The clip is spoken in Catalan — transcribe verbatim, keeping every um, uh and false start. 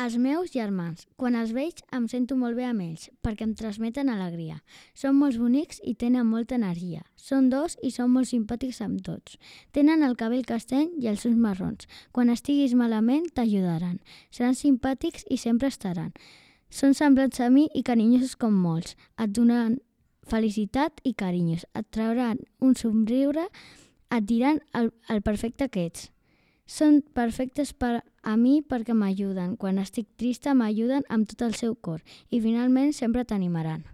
Els meus germans. Quan els veig em sento molt bé amb ells, perquè em transmeten alegria. Són molt bonics i tenen molta energia. Són dos i són molt simpàtics amb tots. Tenen el cabell castany i els ulls marrons. Quan estiguis malament t'ajudaran. Seran simpàtics i sempre estaran. Són semblants a mi i carinyosos com molts. Et donaran felicitat i carinyos. Et trauran un somriure, et diran el, el perfecte que ets. Són perfectes per a mi perquè m'ajuden. Quan estic trista m'ajuden amb tot el seu cor i finalment sempre t'animaran.